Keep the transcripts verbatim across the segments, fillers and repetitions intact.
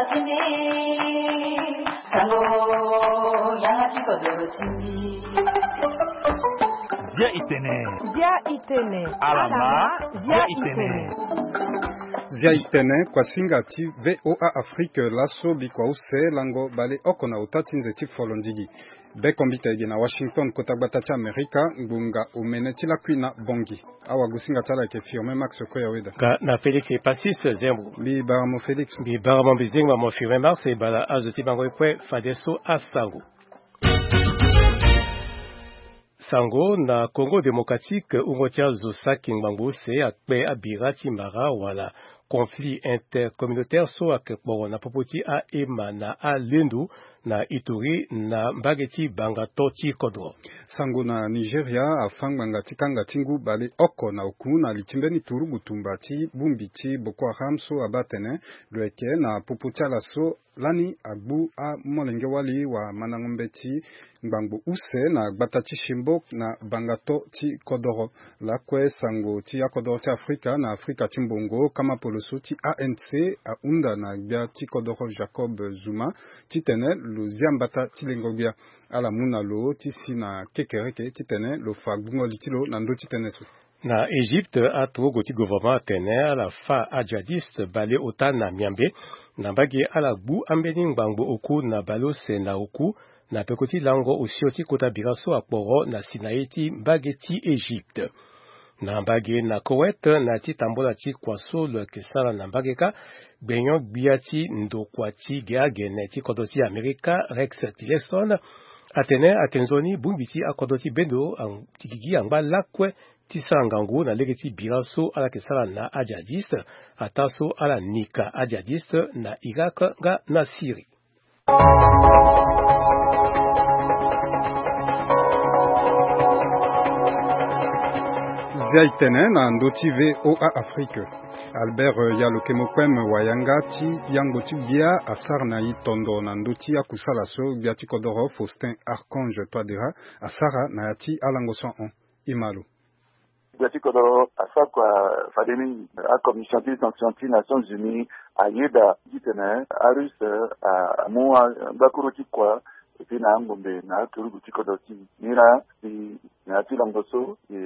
Zia itene. Zia itene. Alama. Zia itene. Zia itene, kuasinga ti VOA Afrique laso bikua use lango baleoko na ota ti nze ti folondigi. Beko mbita ege na Washington, kota gbata ti Amerika, ngbonga omene ti lakui na Bongi. Awagosinga ti ala ayeke Firmin Max Koyaweda. Nga na Félix Epasis Zembo. Mbi bara mo Félix. Mbi bara mo, mbi zingba mo Firmin Max, e bala azo ti bango e kue fadeso asango. Sango na Congo Démocratique, wungo ti azo saki ngbangbo use akpe abira ti mara wala conflit intercommunautaire so ayeke kporo na popo ti aema na alendo na Ituri na mbage ti Bangato ti kodro. Sango na Nigeria afa ngbanga ti kanga ti ngu baleoko na oku na li ti mbeni turugu tumba ti bongbi ti Boko Haram so abaa atene lo yeke na popo ti ala so lani agbu amolenge wali wa mandango mbeti ngbangbo use na gbata ti Chibok na Bangato ti kodoro. Lakue sango ti akodoro ti Afrika na Afrika ti mbongo, kama poloso ti A N C ahunda na gbia ti kodoro Jacob Zuma titene lo zia mbata ti lengo gbia. Ala mu na lo ti si na kekereke titene lo fa gbungo li ti lo na ndö ti tënë so. Na Égypte, aturugu ti gouvernement atene ala fa ajihadiste baleota na miambe na mbage ala gbu ambeni ngbangbo oku na baleuse na oku na peko ti lango osio ti kota bira so akporo na Sinaï ti mbage ti Égypte. Na mbage na Koweït, na ti tambola ti kua so lo yeke sara na mbage kâ, gbenyo-gbia ti ndokua ti ge agene ti kodro ti Amerika, Rex Tillerson, atene ayeke nzoni bongbi ti akodro ti bendo ang-, ti gigi angba lakue ti sara ngangu na lege ti bira so ala yeke sara na ajihadiste, ataa so ala nika ajihadiste na Irak nga na Syrie. Zia itene na ndö ti VOA Afrique. Albert Yalokemo Kpem, wayanga ti yango ti gbia, asara na e tondo na ndö ti akusala so gbia ti kodoro Faustin Archange Touadéra asara na ya ti alango so ahon. E ma lo. Gbia ti kodoro asara kua fade mingi. Acommission ti sanction ti Nations Unies ayeda titene aRusse a, amu a, ngbakuru ti kua, e tena angombe na aturugu ti kodro ti e. Ni laa si na ya ti lango so, e,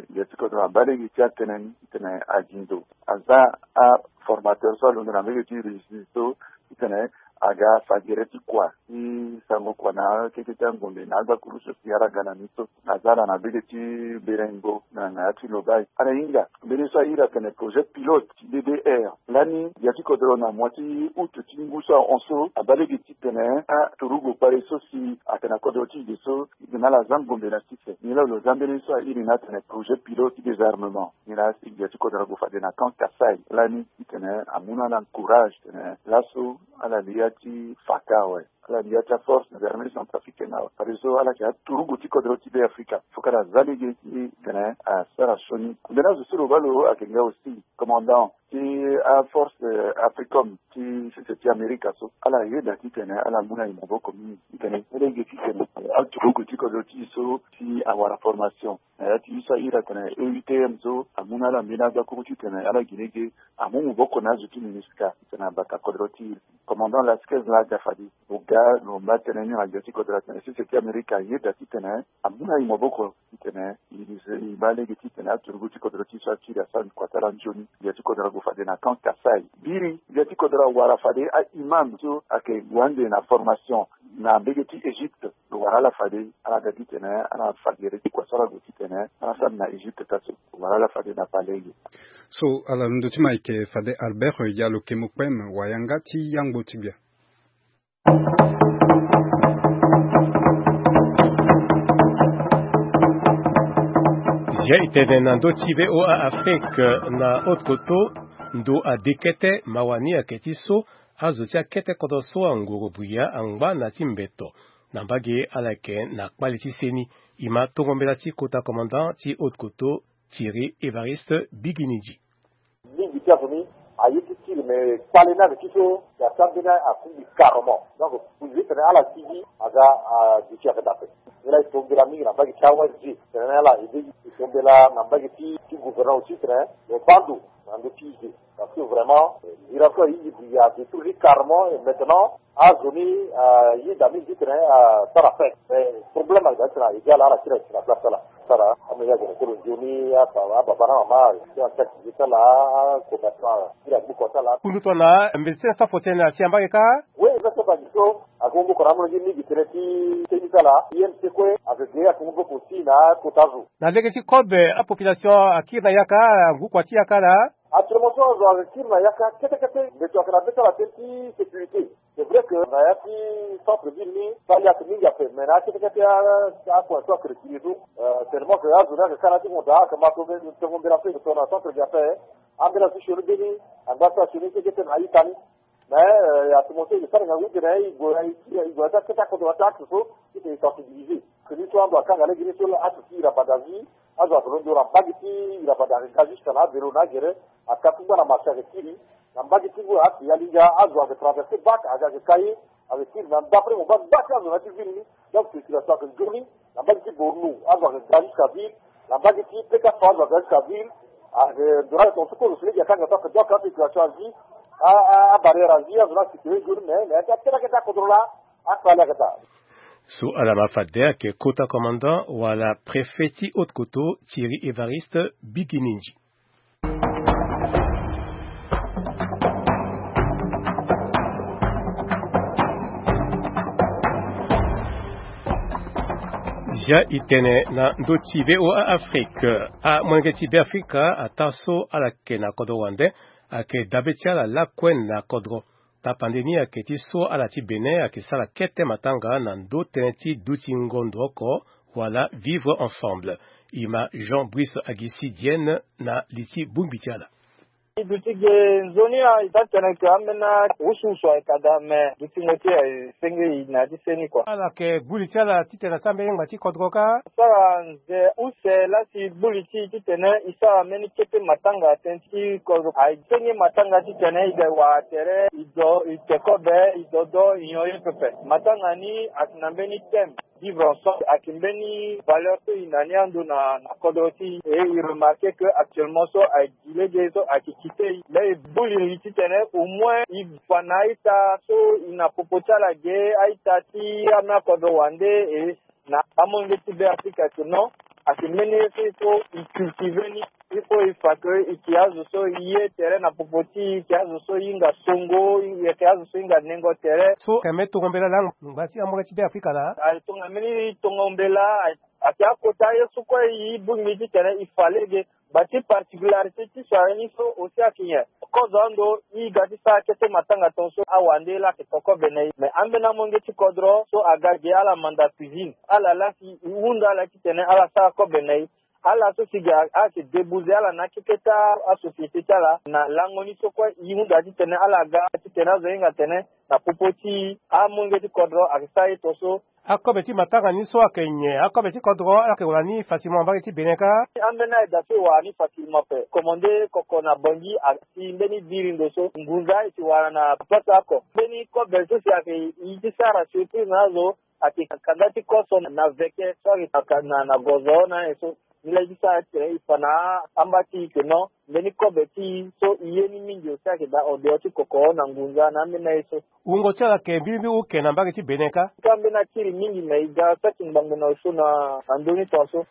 gbia ti kodro abaa lege ti atene ni titene azi ndo. Aza aformateur so alondo na mbege ti Russie so titene aga fa gere ti kua ti sango kua na akete ti angombe na agbakuru so si ala ga na ni so. Aza ala na mbege ti Berengo na, na ya ti Lobaye. Ala hinga mbeni so a iri atene projet pilote ti D D R. Lani gbia ti kodro na mois ti août ti ngu so ahon so abaa lege titene aturugu kpale so si ayeke na kodro ti e ge so, e na ala za ngombe na sese. Ni laa lo za mbeni so a iri ni atene projet pilote ti désarmement. Ni laa si gbia ti kodro ague fade na camp Kasaï lani titene amu na ala encourage titene laso ala li ya ti faka awe. Ala li ya ti aforce na armée centrafricaine awe. Fadeso ala yeke aturugu ti kodro ti Be Afrika. Faut que ala za lege titene asara sioni. Mbeni azo so lo baa lo ayeke nga aussi commandant ti aforce, euh, Africom ti sese ti Amerika so. Ala yeda titene ala mu na e maboko mingi titene e lege titene aturugu ti kodro ti e so si awara formation. Na ya ti e so a iri atene E U T M so amu na ala mbeni agbakuru titene ala gi lege amu maboko na azo ti MINUSCA titene abata kodro ti e. Commandant Lasquez laa aga fade. Lo ga lo mba tënë ni na gbia ti kodro atene sese ti Amerika ayeda titene amu na e maboko titene e, e baa lege titene aturugu ti kodro ti e so akiri asara ni kua ti ala nzoni. Gbia ti kodro ague fade na camp Kasaï. Biri gbia ti kodro awara fade a-imam so ayeke gue ande na formation na mbege ti Égypte. Lo wara ala fade, ala ga titene ala fa gere ti kua so ala gue titene ala sara na Égypte ka so. Lo wara ala fade na palais ye. So ala londo ti ma ayeke fade Albert Yalokemo Kpem, wayanga ti yangbo ti gbia. Zia e tene na ndö ti VOA Afrique, na Haute-Kotto, ndo ade kete mawa ni ayeke ti so azo ti akete kodro so angoro buya angba na ti mbeto na mbage ala yeke na kpale ti seni. E ma tongo mbela ti kota commandant ti Haute-Kotto, Thierry Évariste Biginidji. Mingi ti azo ni aye ti Ti lo me kpale ni ayeke ti so, ya ti ambeni afu gi carrément. Donc, zi tene ala ti gi aga aduti ayeke daa ape. Ni laa e to mbela mingi na mbage ti aONG. Tene ni ala e be e to mbela na mbage ti ti gouvernement aussi tene lo baa ndo na ndö ti e ge. Parce que vraiment, miracle ayeke gi ya de tout carrément. Et maintenant, azo ni ayeda mingi ti tene asara fête. Mais problème ayeke daa ti tene ayeke ala ala ti na place ti ala. Sara ame ya gene kolo nzoni ababa na mama ti na ti akiti ti ala. Commerçant ti na gbuko ti ala. Kundu tongana mbeti ti sens ti afo ti tene asi ambage kâ. Oui, mbe so bagi so. Akongo boko na amolenge mingi tene ti teni ti ala. Ye mbi te kue ayeke ge akongo boko aussi na kota zo. Na lege ti kobe apopulation akiri na yaka. Angukua ti yaka laa. Actuellement so azo ayeke kiri na yaka kete kete. Mbeto ayeke na be ti ala tënë ti sécurité. C'est vrai que na ya ti centre ville ni, fali ayeke mingi ape, mais na ya kete kete akua so ayeke retiré so. Tellement que azo ni ayeke ka na ya ti honda ayeke ma tongo mbela so e yeke to na centre ge ape. Ambeni azo ti sioni mbeni angba so asioni keke tene na ita ni. Mais ya ti mo so e ke sara ngangu tene e gue na ya ti akete akodro na ya ti axe so ti tene e sensibilisé. Ke ni so ando akanga lege ni so axe ti ira banda vie. Azo ayeke londo na mbage ti ira banda ayeke ga jusqu'à na avelo na agere. Aka ti ngba na marché ayeke kiri. Na mbage ti ngu na axe ya linga azo ayeke traversé bac ayeke ayeke ka ye. Ayeke kiri na d'après mo mbage mbage ti azo na ya ti ville ni. Donc circulation ayeke nzoni. Na mbage ti bornou azo ayeke ga jusqu'à ville. Na mbage ti pekaso azo ayeke ga jusqu'à ville. Ayeke ndoro ayeke tonga so kozo so lege akanga so ayeke donc apopulation azi abarrière azi azo na circulé nzoni mais na ya ti akete akete akodro laa. Akpale akata. So ala ma fade ayeke kota commandant wala préfet ti haute koto Thierry Évariste Bigininji. Zia e tene na ndö ti VOA Afrique. Amolenge ti Beafrika ataa so ala yeke na kodro wande ayeke dabe ti ala lakue na kodro. Tapande ni ayeke ti so ala ti Bénin ayeke sara kete matanga na ndö tënë ti duti ngondo oko wala vivre ensemble. E ma Jean Brice Agisi Dienne na li ti bongbi ti ala. E duti ge nzoni a e taa tene ke ambeni awusuwusu ayeke daa me dutingo ti e ayeke senge e na ya ti seni kua. Ala yeke gbu li ti ala titene asara mbeni ngba ti kodro kâ. Asara nze use laa si gbu li ti e titene e sara mbeni kete matanga tënë ti kodro. Asenge matanga titene e ga e wara tere e do e te kobe e dodo e nyon ye pepe. Matanga ni ayeke na mbeni thème vivre ensemble ayeke mbeni valeur so e na ni ando na kodro ti e. E remarqué que actuellement so ayeke gi lege so ayeke kite e laa e gbu li li titene au moins e fa na a-ita so e na popo ti ala ge a-ita ti ameni akodro wande e na amolenge ti Beafrika ayeke non. Ayeke mbeni ye so il faut e cultivé ni. Il faut e fa ke e yeke azo so e ye tere na popo ti e e yeke azo so e hinga songo e yeke azo so e hinga nengo tere. So ayeke mbeni tongo mbela laa ngba ti amolenge ti Beafrika laa. Ayeke tongana mbeni tongo mbela. Ayeke akota ye so kue e bongbi titene e fa lege. Bati particularité ti so ayeke ni so aussi ayeke nyen. Kozo ando e ga ti sara kete matanga tongaso awande laa ayeke to kobe na e mais ambeni amolenge ti kodro so aga ge ala manda cuisine ala laa si e hunda ala titene ala sara kobe na e. Ala so si ga ayeke débouser ala na akeketa asociété ti ala na lango ni so kue e hunda titene ala ga titene azo hinga tene na popo ti amolenge ti kodro ayeke sara ye tongaso. Akobe ti matanga ni so ayeke nyen? Akobe ti kodro ala yeke wara ni facilement na mbage ti Bénin kâ. Ambeni ayeda so e wara ni facilement ape. Commandé koko na Bangui asi mbeni biri ndo so ngunza e si wara na place oko. Mbeni kobe so si ayeke e ti sara surprise na azo ayeke kanda ti koso na veke so ayeke na gozo na aye so. Ni laa e ti sara titene e fa na amba ti e ke non. Mbeni kobe ti e so e ye ni mingi aussi ayeke daa en dehors ti koko na ngunza na ambeni aye so. Wungo ti ala yeke mbi mbi oke na mbage ti Bénin kâ. Kâ mbeni akiri mingi me e ga saki ngbangbo na osio na ndö ni tongaso.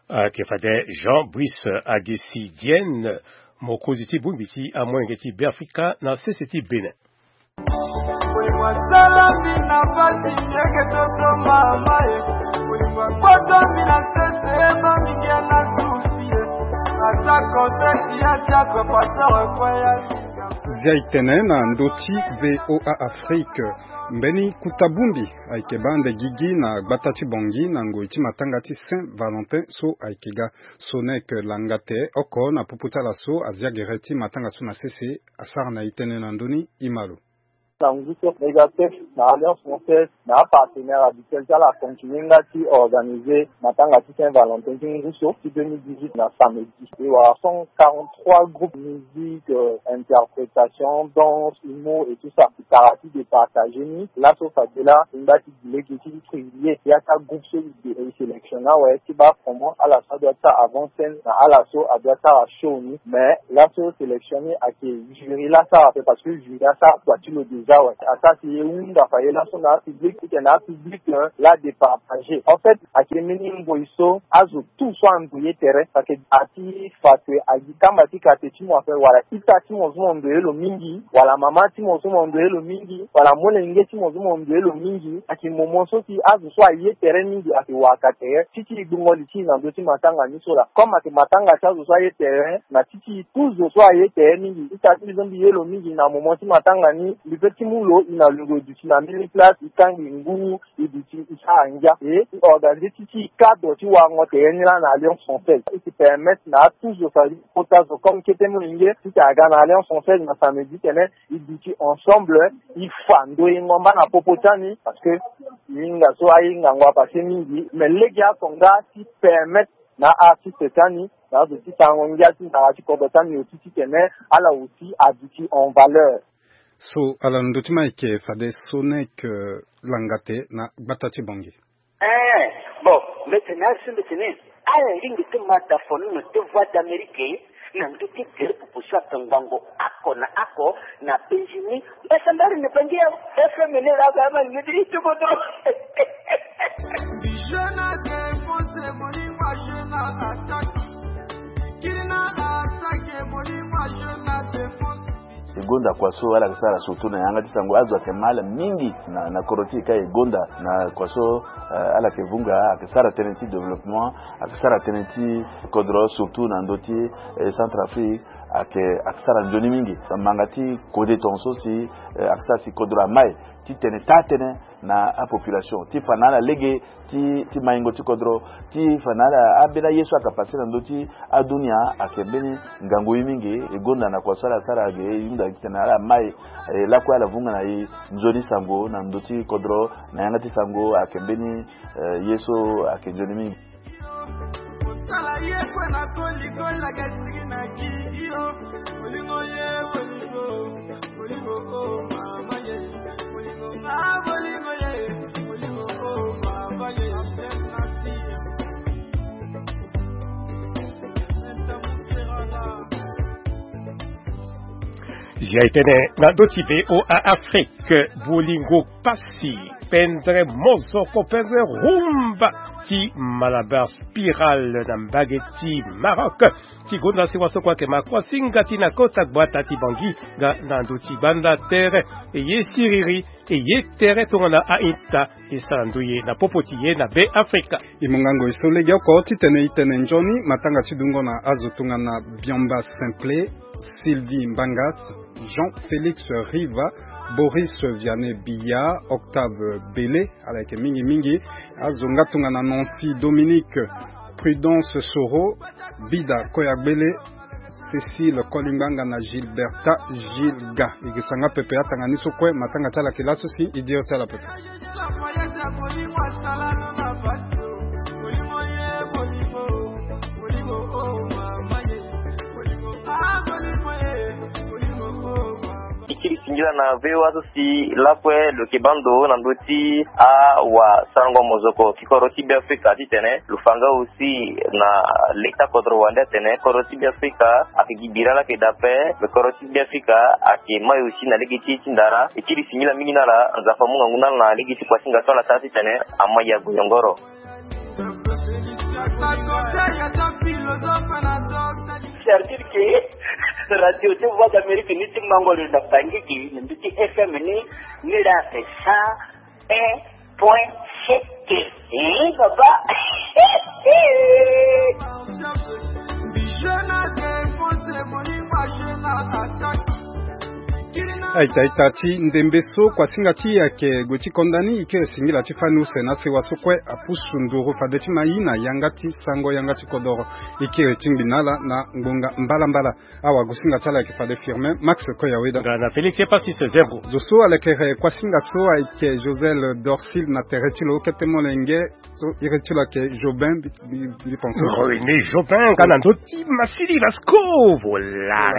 Ayeke fade Jean Brice Agesi Dienne, mokonzi ti bongbi ti amolenge ti Beafrika na sese ti Bénin. Bolingo asala mbi na mpasi, yeke toto mama ye. Bolingo akota mbi na sese, mami ngia na susi ye. Atako seki ya tiako pasteur kwa ya. Zia e tene na ndö ti VOA Afrique. Mbeni kuta bongbi ayeke baa ande gigi na gbata ti Bangui na ngoi ti matanga ti Saint Valentin so ayeke ga. So ni ayeke langa te oko na popo ti ala so azia gere ti matanga so na sese. Asara na e tënë na ndö ni, e ma lo. Na ngu so, Megatech na Alliance Française na apartenaire habituel ti ala acontinue nga ti organiser matanga ti Saint Valentin ti ngu so ti deux mille dix-huit na samedi. E wara cent quarante-trois groupes, musique, euh, interprétation, danse, humour et tout ça. Kara ti départager ni laso fade la e ngba ti gi lege ti privilégier ya ti agroupe so e sélectionner awe ti baa comment ala so adoit ti sara avant scène na ala so adoit ti sara show ni. Mais laso sélection ni ayeke jury la sara ape, parce que jury asara kua ti lo déjà awe. Asara si e hunda faye laso na apublic titene apublic, euh, la départager. En fait, ayeke mbeni ngoi so azo tout so ando ye tere, parce que a ti fa kue agi kamba ti kate ti mo ape, wala ita ti mo so mo ndo ye lo mingi, wala mama ti mo so mo ndo ye lo mingi, wala molenge ti mo so mo ndo ye lo mingi. Ayeke moment so si azo so aye tere mingi ayeke wara ka tere ti ti e gbongo li ti e na ndö ti matanga ni so laa. Comme ayeke matanga ti azo so aye tere, na ti ti e tout zo so aye tere mingi, ita ti mbi so mbi ye lo mingi na moment ti matanga ni, mbi peut ti mu lo e na lo lo duti na mbeni place, e kangbi ngu, e duti e sara ngia. E e organiser ti ti e cadre ti warango tere ni laa na Alliance Française. E si permettre na tout zo, ça veut dire kota zo comme kete molenge, titene aga na Alliance Française na samedi titene e duti ensemble, e fa ndoyengo mba na popo ti ani, parce que e hinga so ahingango apasse mingi. Mais lege atonga ti permettre na artiste ti ani na azo ti sarango ngia ti nzara ti kodro ti ani aussi titene ala aussi aduti en valeur. So ala na ndö ti ma ayeke fade so ni ayeke langa te na gbata ti Bangui. Eh, bon, mbi tene azo mbi tene ala lingbi ti ma dafonono ti Voix d'Amérique na ndö ti gere popo so atongbango oko na oko na Bangui. Mbasambari na Bangui awe. F M ni laa ba ma ni ti kodro. Mbi jeu na défense, moni ma jeu na attaque. Mbi kiri na attaque, moni ma jeu na défense. E gonda kua so ala yeke sara surtout na yanga ti sango, azo ayeke ma ala mingi na, na kodro ti e ka e gonda na kua so, eh, ala yeke vunga, ayeke sara tënë ti développement, ayeke sara tënë ti kodro surtout na ndö ti, eh, Centrafrique, ayeke, ayeke sara nzoni mingi. Manga ti kode tongaso si, eh, ayeke sara si kodro amai titene taa tënë na apopulation ti fa na ala lege ti, ti maingo ti kodro, ti fa na ala ambeni aye so ayeke passe na ndö ti adunia. Ayeke mbeni ngangu ye mingi. E gonda na kua so ala sara ge e hunda titene ala mai, eh, lakue ala vunga na e nzoni sango na ndö ti kodro na yanga ti sango. Ayeke mbeni, eh, ye so ayeke nzoni mingi. Zia e tene na ndö ti V O A Afrique, bolingo pasi, pendre mozoko, pendre rumba ti Malabar Spiral na mbage ti Maroc. Ti gonda si waso kue ayeke ma kuasinga ti na kota gbata ti Bangui nga na ndö ti gbanda tere. E ye siriri, e ye tere tongana a-ita e sara ndoye na popo ti e na Beafrika. E mu ngangu e so legeoko titene e tene nzoni matanga ti dungo na azo tongana Biomba Simple, Sylvie Mbangas, Jean-Félix Riva, Boris Vianney Biya, Octave Bele, ala yeke mingi mingi. Azo nga tongana Nancy Dominique, Prudence Soro, Bida Koyagbele, Cécile Kolingbanga na Gilberta Gilga. E yeke sanga pepe atanga ni so kue, matanga ti ala yeke laso si e diri ti ala pepe. E kiri singila na V O A so si lakue lo yeke baa ndo na ndö ti awasarango mozoko ti kodro ti Beafrika titene lo fa nga aussi na leta kodro wande atene kodro ti Beafrika ayeke gi bira laa ayeke daa ape. Me kodro ti Beafrika ayeke mai aussi na lege ti e ti ndara. E kiri singila mingi na ala, Nzapa amu ngangu na ala na lege ti kuasinga so ala sara titene amai ague yongoro. C'est-à-dire que radio ti Voix d'Amérique ni ti mango lo na Bangui gi na ndö ti F M ni, ni laa c'est cent un point sept. Eh, baba. Aita aita ti ndembe so kuasinga ti e ayeke gue ti konda ni, e kiri singila ti fani use na sewa so kue apusu nduru fade ti ma i na yanga ti sango yanga ti kodoro. E kiri ti ngbi na ala na ngbonga mbalambala. Awagosinga ti ala ayeke fade Firmin Max Koyaweda. Nga na Félix Epassis Zerbo. Zo so alekere kuasinga so ayeke Josel Dorsil na tere ti lo kete molenge. So iri ti lo ayeke Jobin, mbi, mbi, mbi pense. René Jobin, nga na ndö ti Massili Vasco, voilà.